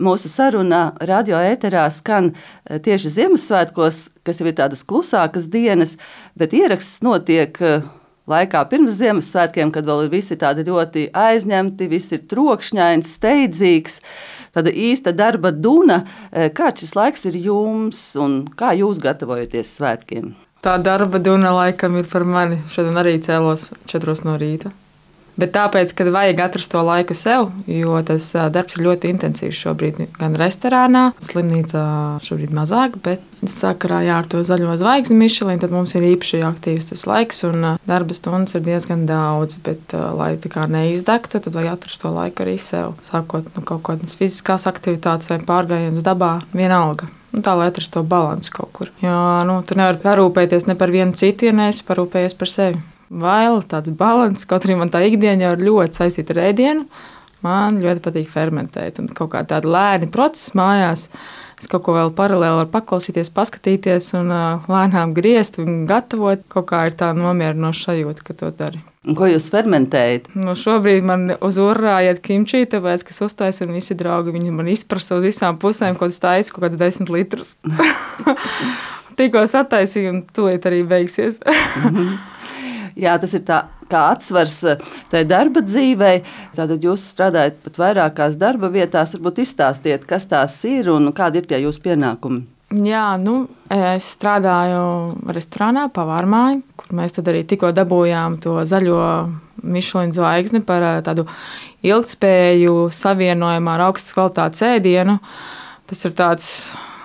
Mūsu saruna radio ēterā skan tieši Ziemassvētkos, kas jau ir tādas klusākas dienas, bet ieraksts notiek laikā pirms Ziemassvētkiem, kad vēl visi tādi ļoti aizņemti, viss ir trokšņains, steidzīgs, tāda īsta darba duna. Kāds šis laiks ir jums un kā jūs gatavojaties svētkiem? Tā darba duna laikam ir par mani. Šodien arī cēlos 4 no rīta. Bet tāpēc, kad vajag atrast to laiku sev, jo tas darbs ir ļoti intensīvs šobrīd, gan restorānā, slimnīcā šobrīd mazāk, bet sakarā ar to zaļo zvaigzni Michelin, tad mums ir īpaši aktīvs tas laiks un darba stundas ir diezgan daudz, bet lai tā kā neizdegtu, tad vajag atrast to laiku arī sev. Sākot no kaut kādas fiziskās aktivitātes vai pārgājiens dabā, vienalga. Tā, lai atrastu to balansu kaut kur. Jo tu nevari parūpēties ne par vienu citu, ja neesi parūpējies par sevi. Vēl tāds balans, kaut arī man tā ikdiena jau ir ļoti saistīta ar ēdienu. Man ļoti patīk fermentēt un kaut kā tāda lēni procesa mājās. Es kaut ko vēl paralēli varu paklausīties, paskatīties un lēnām griezt un gatavot. Kaut kā ir tā nomierinoša sajūta, ka to dari. Un ko jūs fermentējat? Šobrīd man uz urā iet kimči, tāpēc, ka es uztaisu un visi draugi, viņi man izprasa uz visām pusēm, ko es taisu, kaut kāds 10 litrus. Tikko sataisīju un tūlīt arī beigsies. Jā, tas ir tā kā atsvars tai darba dzīvei. Tātad jūs strādājat pat vairākās darba vietās. Varbūt izstāstiet, kas tās ir un kādi ir tie jūsu pienākumi. Jā, es strādāju restorānā, pavārmāju, kur mēs tad arī tikko dabūjām to zaļo Michelin zvaigzni par tādu ilgtspēju savienojumu ar augstas kvalitātes ēdienu. Tas ir tāds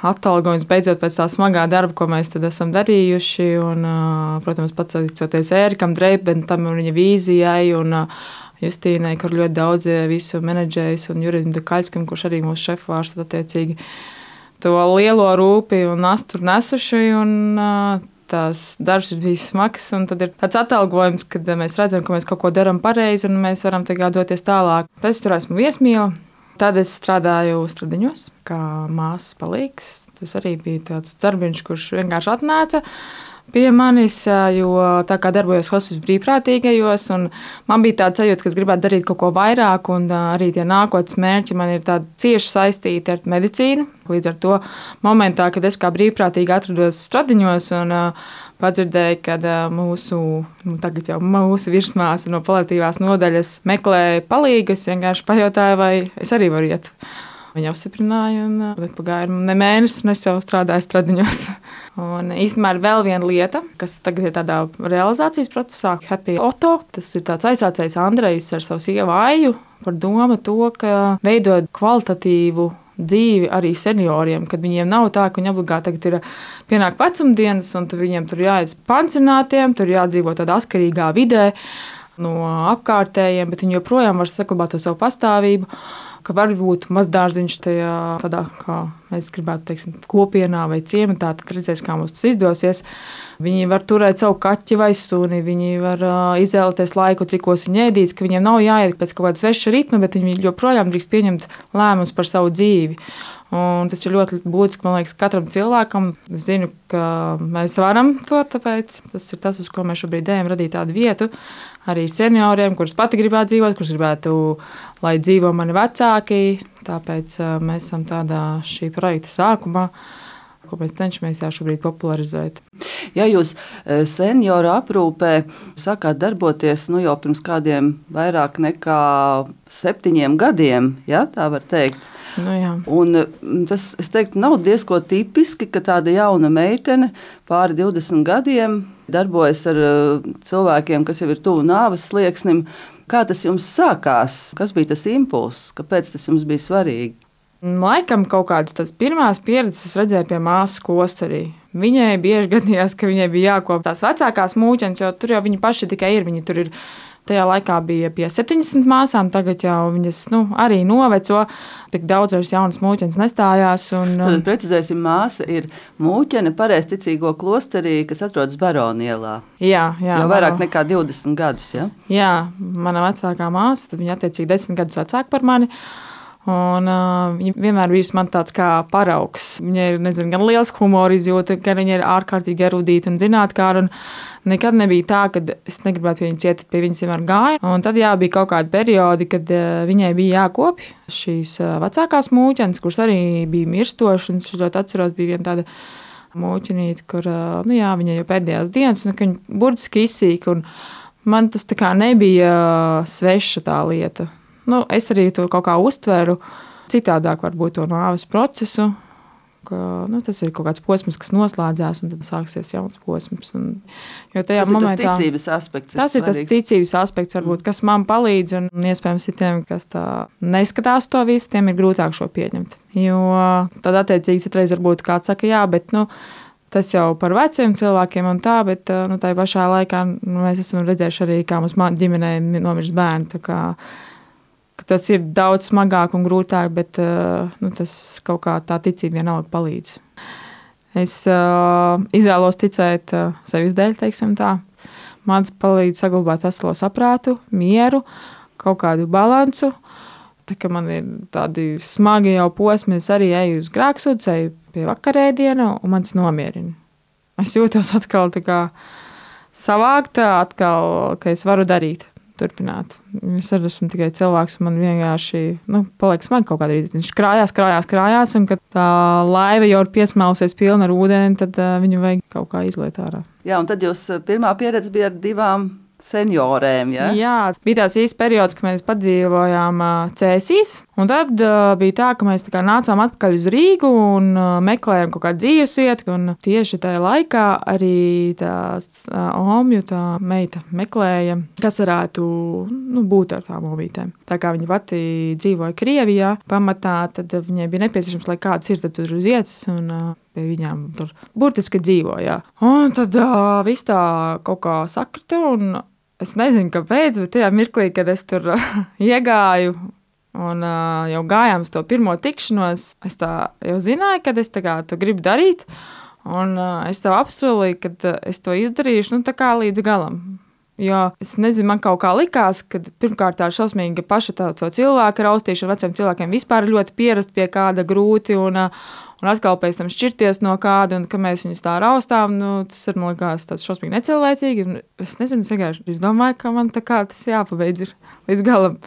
atalgojums beidzot pēc tā smagā darba, ko mēs tad esam darījuši. Un, protams, pateicoties Ērikam Dreibentam un viņa vīzijai un Justīnai, kur ļoti daudz visu menedžējis un Jurim Dekaļskam, kurš arī mūsu šefvārsts attiecīgi to lielo rūpi un nastu nesuši. Un, tās darbs ir bijis smags un tad ir tāds atalgojums, kad mēs redzam, ka mēs kaut ko darām pareizi un mēs varam tagad doties tālāk. Tad es tur esmu viesmīla. Tad es strādāju Stradiņos, kā māsas palīgs. Tas arī bija tāds darbiņš, kurš vienkārši atnāca pie manis, jo tā kā darbojos hospice brīvprātīgajos, un man bija tāda sajūta, ka es gribētu darīt kaut ko vairāk, un arī tie nākotnes mērķi man ir tādi cieši saistīti ar medicīnu. Līdz ar to momentā, kad es kā brīvprātīgi atrados Stradiņos un padzirdēju, ka tagad jau mūsu virsmāsa no paliatīvās nodaļas meklē palīgu, es vienkārši pajautāju, vai es arī varu iet. Viņa apstiprināja, un pagāja ne mēnesis, un es jau strādāju Stradiņos. Un īstenībā ir vēl viena lieta, kas tagad ir tādā realizācijas procesā, Happy Auto. Tas ir tāds aizsācējs Andrejs ar savu sievu Aiju par domu to, ka veidot kvalitatīvu dzīvi arī senioriem, kad viņiem nav tā, ka viņi obligāti tagad ir pienāk vecumdienas, un viņiem tur jāiet pansionātiem, tur jādzīvo tādā atkarīgā vidē no apkārtējiem, bet viņi joprojām var saglabāt to savu pastāvību, ka var būt mazdārziņš tajā tādā, kā mēs gribētu teikt, kopienā vai ciematā, tad redzēs, kā mums tas izdosies. Viņi var turēt savu kaķi vai suni, viņi var izvēlēties laiku, cikos viņi ēdīs, ka viņiem nav jāiet pēc kaut kāda sveša ritma, bet viņi joprojām drīkst pieņemt lēmumus par savu dzīvi. Un tas ir ļoti būtiski, man liekas, katram cilvēkam. Es zinu, ka mēs varam to, tāpēc tas ir tas, uz ko mēs šobrīd ejam, radīt tādu vietu arī senioriem, kurus pati gribētu dzīvot, kurus gribētu, lai dzīvo mani vecāki. Tāpēc mēs esam tādā šī projekta sākumā, ko mēs cenšamies šobrīd popularizēt. Ja jūs senioru aprūpē sākāt darboties jau pirms kādiem vairāk nekā 7 gadiem, ja, tā var teikt. Jā. Un tas, es teiktu, nav diezko tipiski, ka tāda jauna meitene pāri 20 gadiem darbojas ar cilvēkiem, kas jau ir tuvu nāves slieksnim. Kā tas jums sākās? Kas bija tas impulss? Kāpēc tas jums bija svarīgi? Laikam kaut kādas tās pirmās pieredzes es redzēju pie māsas klosterī. Viņai bieži gadījās, ka viņai bija jākop tās vecākās mūķenes, jo tur jau viņi paši tikai ir. Viņi tur ir. Tajā laikā bija pie 70 māsām, tagad jau viņas arī noveco. Tik daudz vairs jaunas mūķenes nestājās. Tad precizēsim, māsa ir mūķene pareizticīgo klosterī, kas atrodas Baronielā. Jā. Jau vairāk nekā 20 gadus, ja? Jā, mana vecākā māsa, tad viņa attiecīgi 10 gadus vecāka par mani. Un, viņa vienmēr bijusi man tāds kā paraugs. Viņa ir gan liels humora izjūta, gan viņa ir ārkārtīgi erudīta un zinātnākāra. Nekad nebija tā, ka es negribētu pie viņas iet, pie viņas vienmēr gāju. Un tad bija kaut kādi periodi, kad viņai bija jākopj šīs vecākās mūķenes, kuras arī bija mirstošas. Es ļoti atceros, bija viena tāda mūķenīte, kur viņa jau pēdējās dienas, un viņa burtiski izsīka. Man tas tā kā nebija sveša tā lieta. Es arī to kaut kā uztveru citādāk, varbūt to nāves procesu, ka tas ir kaut kāds posms, kas noslēdzās, un tad sāksies jauns posms. Jo tajā momentā tas ticības aspekts. Tas ir tas ticības aspekts, varbūt, kas man palīdz, un iespējams citiem, kas tā neskatās to visu, tiem ir grūtāk šo pieņemt. Jo tad attiecīgi citreiz varbūt kāds saka, jā, bet tas jau par veciem cilvēkiem un tā, bet tā pašā laikā mēs esam redzējuši arī, kā mums ģimenē nomirst bērni. Tā kā tas ir daudz smagāk un grūtāk, bet tas kaut kā tā ticība vienalga palīdz. Es izvēlos ticēt sevis dēļ, teiksim tā. Man palīdz saglabāt veselo saprātu, mieru, kaut kādu balansu. Tā kā man ir tādi smagi jau posmi, es arī eju uz grēksūdzi, eju pie vakarēdiena, un man tas nomierina. Es jūtos atkal tā kā savākta, atkal, ka es varu darīt. Turpināt. Es arī esmu tikai cilvēks, un man vienkārši paliek smagi kaut kādā rītā. Viņš krājās, un kad tā laiva jau ir piesmēlusies pilna ar ūdeni, tad viņu vajag kaut kā izliet ārā. Jā, un tad jūs pirmā pieredze bija ar 2 seniorēm, ja? Jā, bija tāds īsts periods, kad mēs padzīvojām Cēsīs, un tad bija tā, ka mēs tā kā nācām atpakaļ uz Rīgu un meklējām kaut kādu dzīvesvietu, un tieši tajā laikā arī tā omju, tā meita meklēja, kas varētu būt ar tām omītēm. Tā kā viņa pati dzīvoja Krievijā pamatā, tad viņai bija nepieciešams, lai kāds ir tad tur uz vietas, un pie viņām tur burtiski dzīvoja. Un tad viss tā kaut kā sakrita, un es nezinu, kāpēc, bet tajā mirklī, kad es tur iegāju un jau gājām uz to pirmo tikšanos, es tā jau zināju, kad es tā kā to gribu darīt, un es sev apsolīju, ka es to izdarīšu, tā kā līdz galam. Jo es nezinu, man kaut kā likās, ka pirmkārt tā šausmīgi paša to cilvēku raustīšana veciem cilvēkiem vispār ļoti pierast pie kāda grūti, un atkal pēc tam šķirties no kāda, un ka mēs viņus tā raustām, tas ir, man likās, tāds šausmīgi necilvēcīgi, un es nezinu, es domāju, ka man tā kā tas jāpabeidz ir līdz galam.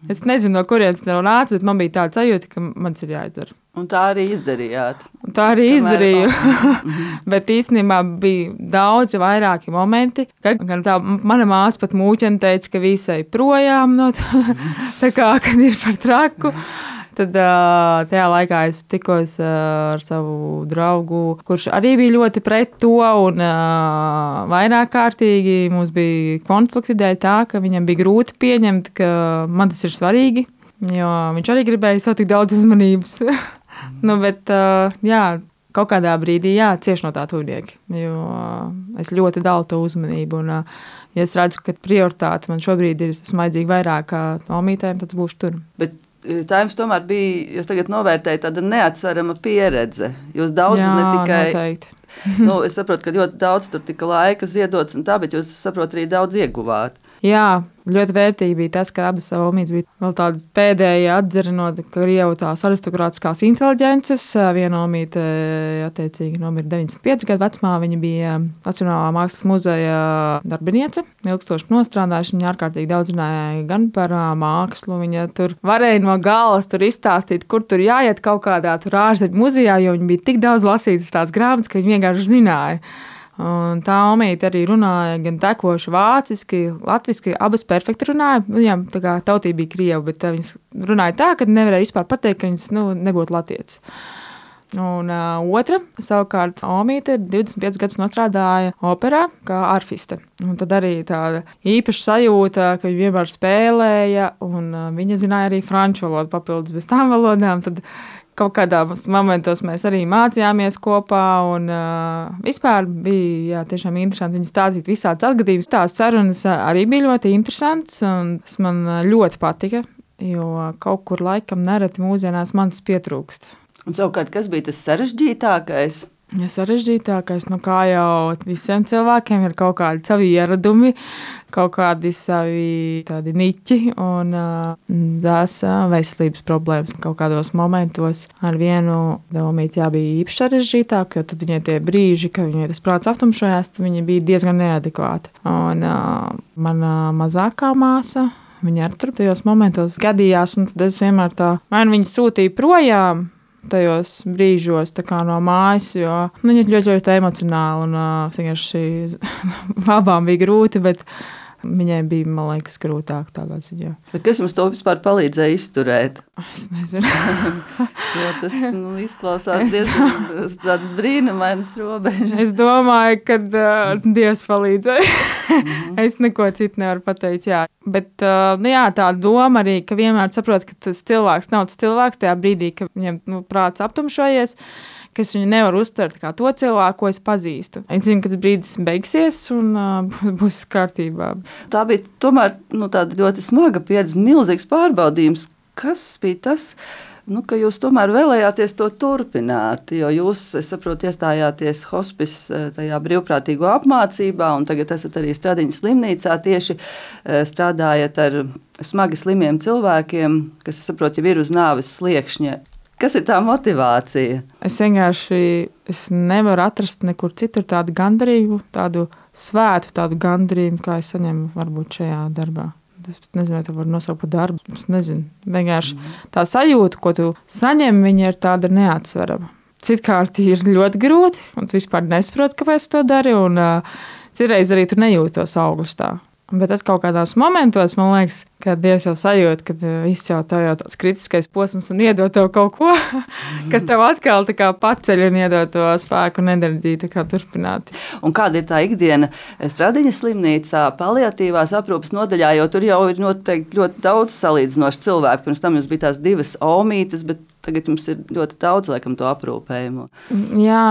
Es nezinu, no kurienes tev nāca, bet man bija tāda sajūta, ka mans ir jāizdara. Un tā arī izdarījāt. Tā arī izdarīju. Bet īstenībā bija daudzi vairāki momenti, kad tā mana māsa pat mūķene teica, ka visai projām no tā kā, kad ir par traku. Tad tajā laikā es tikos ar savu draugu, kurš arī bija ļoti pret to, un vairāk kārtīgi mums bija konflikti dēļ tā, ka viņam bija grūti pieņemt, ka man tas ir svarīgi, jo viņš arī gribēja savu tik daudz uzmanības. Bet kaut kādā brīdī cieši no tā tuvnieki, jo es ļoti dalu to uzmanību, un ja es redzu, ka prioritāte man šobrīd ir smaidzīga vairāk kā omītēm, tad būšu tur. Bet tā jums tomēr bija, jūs tagad novērtējat tāda neatsverama pieredze. Jūs daudz ne tikai... Noteikti. Es saprotu, ka ļoti daudz tur tika laika ziedots un tā, bet jūs saprotat arī daudz ieguvāt. Jā, ļoti vērtīgi bija tas, ka abas omītes bija vēl tādas pēdējie atzara no Krievu tās aristokrātiskās inteliģences. Viena omīte, attiecīgi, nomira 95 gadu vecumā. Viņa bija Nacionālā mākslas muzeja darbiniece, ilgstoši nostrādājusi. Viņa ārkārtīgi daudz runāja gan par mākslu. Viņa tur varēja no galvas tur izstāstīt, kur tur jāiet kaut kādā tur ārzemju muzejā, jo viņa bija tik daudz lasītas tās grāmatas, ka viņa vienkārši zināja. Un tā omīte arī runāja gan tekoši vāciski, latviski, abas perfekti runāja. Viņām tā kā tautība bija krieva, bet viņas runāja tā, ka nevarēja vispār pateikt, ka viņas nebūtu latietis. Un otra, savukārt, omīte 25 gadus nostrādāja operā kā arfiste. Un tad arī tāda īpaša sajūta, ka viņa vienmēr spēlēja, un viņa zināja arī franču valodu papildus bez tām valodām. Tad kaut kādā momentos mēs arī mācījāmies kopā, un vispār bija tiešām interesanti viņas stāstīt visādas atgadījumus. Tās sarunas arī bija ļoti interesantas, un tas man ļoti patika, jo kaut kur laikam nereti mūsdienās man tas pietrūkst. Un savukārt, kas bija tas sarežģītākais? Ja sarežģītākais, kā jau visiem cilvēkiem, ir kaut kādi savi ieradumi, kaut kādi savi tādi niķi un tās veselības problēmas. Kaut kādos momentos ar vienu Daumīti bija īpaši sarežģītāk, jo tad viņai tie brīži, kad viņai tas prāts aptumšojās, tad viņa bija diezgan neadekvāta. Un mana mazākā māsa, viņa arī tur tajos momentos gadījās, un tad es vienmēr man viņa sūtīja projām tajos brīžos no mājas, jo viņa ir ļoti, ļoti emocionāli un vienkārši abām bija grūti, bet viņai bija, man liekas, grūtāk tādā ziņā. Bet kas jums to vispār palīdzēja izturēt? Es nezinu. Jo tas izklausās diezgan tāds brīnumainas robežas. Es domāju, ka Dievs palīdzēja. Es neko citu nevaru pateikt, jā. Bet tā doma arī, ka vienmēr saprot, ka tas cilvēks nav tas cilvēks tajā brīdī, ka viņam prāts aptumšojies, ka es viņu nevaru uztvert kā to cilvēku, ko es pazīstu. Es zinu, ka tas brīdis beigsies un būs kārtībā. Tā bija tomēr tāda ļoti smaga pieredze, milzīgs pārbaudījums. Kas bija tas, ka jūs tomēr vēlējāties to turpināt? Jo jūs, es saprotu, iestājāties hospice tajā brīvprātīgo apmācībā, un tagad esat arī Stradiņas slimnīcā tieši strādājat ar smagi slimiem cilvēkiem, kas, es saprotu, jau ir uz nāves sliekšņa. Kas ir tā motivācija? Es vienkārši nevaru atrast nekur citur tādu gandarību, tādu svētu, tādu gandarību, kā es saņemu varbūt šajā darbā. Es nezinu, vai to var nosaukt par darbu. Es nezinu. Vienkārši tā sajūta, ko tu saņem, viņa ir tāda neatsverama. Citkārt ir ļoti grūti, un tu vispār nesaproti, kāpēc to dari, un citreiz arī tu nejūti tos augļus tā. Bet tad kaut kādos momentos, man liekas, ka Dievs jau sajūt, ka viss jau tā jau tāds kritiskais posms un iedod tev kaut ko, kas tev atkal tā kā paceļ un iedod to spēku un enerģiju tā kā turpināt. Un kāda ir tā ikdiena Stradiņas slimnīcā, paliatīvās aprūpes nodaļā, jo tur jau ir noteikti ļoti daudz salīdzinoši cilvēku. Pirms tam jums bija tās 2 omītes, bet tagad jums ir ļoti daudz, laikam, to aprūpējumu. Jā,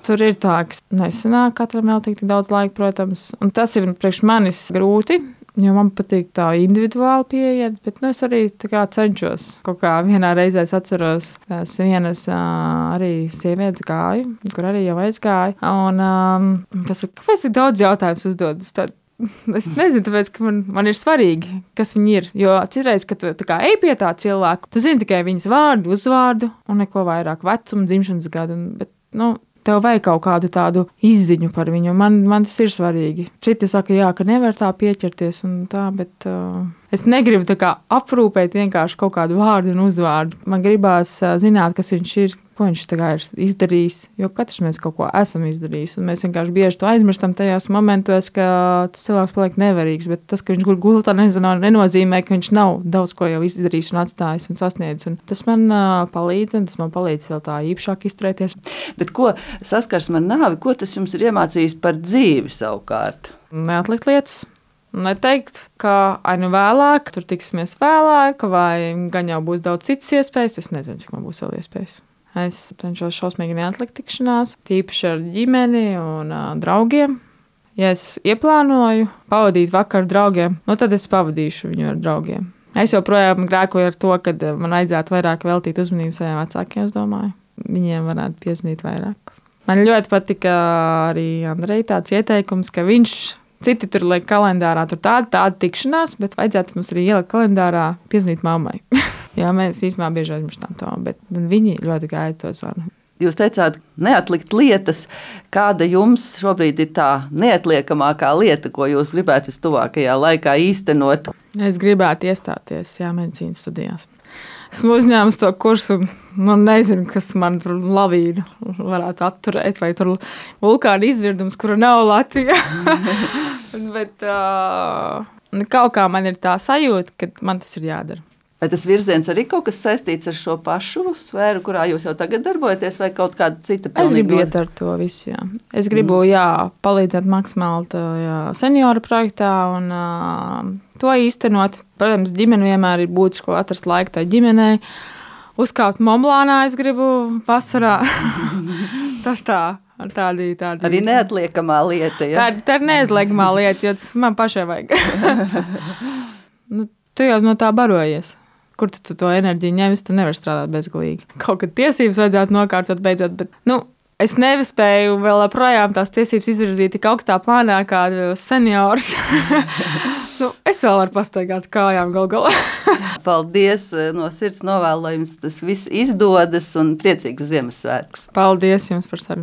tur ir tā, ka nesanāk katram vēl tik daudz laika, protams. Un tas ir priekš manis grūti, jo man patīk tā individuāli pieiet, bet es arī cenšos. Kaut kā vienā reizē es atceros, vienas arī sievietes gāju, kur arī jau aizgāju. Un tas ir, kāpēc tik daudz jautājums uzdodas? Es nezinu, tāpēc, ka man ir svarīgi, kas viņi ir. Jo citreiz, kad tu ej pie tā cilvēku, tu zini tikai viņas vārdu, uzvārdu un neko vairāk, vecumu, dzimšanas gadu. Bet, tev vajag kaut kādu tādu izziņu par viņu. Man tas ir svarīgi. Citi saka, jā, ka nevar tā pieķerties un tā, bet es negribu tā kā aprūpēt vienkārši kaut kādu vārdu un uzvārdu. Man gribās zināt, kas viņš ir, ko viņš ir izdarījis, jo katrs mēs kaut ko esam izdarījis, un mēs vienkārši bieži to aizmirstam tajos momentos, ka tas cilvēks paliek nevarīgs, bet tas, ka viņš guļ gultā, nenozīmē, ka viņš nav daudz ko jau izdarījis un atstājis un sasniedzis, un tas man palīdz, un tas man palīdz vēl tā īpašāk izturēties. Bet ko saskarsme ar nāvi, ko tas jums ir iemācījis par dzīvi savukārt? Neatlikt lietas. Neteikt, ka vēlāk, tur tiksimies vēlāk, vai gan jau būs daudz citas iespējas, es nezinu, cik man būs vēl iespējas. Es cenšos šausmīgi neatlikt tikšanās, tīpaši ar ģimeni un draugiem. Ja es ieplānoju pavadīt vakaru draugiem, tad es pavadīšu viņu ar draugiem. Es joprojām grēkoju ar to, ka man vajadzētu vairāk veltīt uzmanību saviem vecākiem, es domāju. Viņiem varētu piezvanīt vairāk. Man ļoti patika arī Andrei tāds ieteikums, ka viņš citi tur liek kalendārā, tur tāda tikšanās, bet vajadzētu mums arī ielikt kalendārā piezvanīt mammai. Jā, mēs īstenībā bieži aizmirstam to, bet viņi ļoti gaida to zvanu. Jūs teicāt, neatlikt lietas. Kāda jums šobrīd ir tā neatliekamākā lieta, ko jūs gribētu vistuvākajā laikā īstenot? Es gribētu iestāties medicīnas studijās. Esmu uzņēmusi to kursu un nezinu, kas man tur lavīnu varētu atturēt, vai tur vulkāna izvirdums, kura nav Latvijā. Bet kaut kā man ir tā sajūta, ka man tas ir jādara. Vai tas virziens arī kaut kas saistīts ar šo pašu sfēru, kurā jūs jau tagad darbojaties, vai kaut kāda cita? Es gribu iet ar to visu, jā. Es gribu, palīdzēt maksimāli senioru projektā un to īstenot. Protams, ģimene vienmēr ir būtiski atrast laiku tai ģimenei. Uzkāpt Monblānā es gribu vasarā. Tas tā. Tādi. Arī neatliekamā lieta, ja? Tā ir neatliekamā lieta, jo tas man pašai vajag. Tu jau no tā barojies. Kur tu to enerģiju ņemsi, tu nevari strādāt bezgalīgi. Kaut kad tiesības vajadzētu nokārtot beidzot, bet es nespēju vēl projām tās tiesības izvirzīt tik augstā plānā kā seniors. Es vēl varu pastaigāt kājām gal galā. Paldies no sirds novēlu, lai jums tas viss izdodas un priecīgas Ziemassvētkus. Paldies jums par sarunu.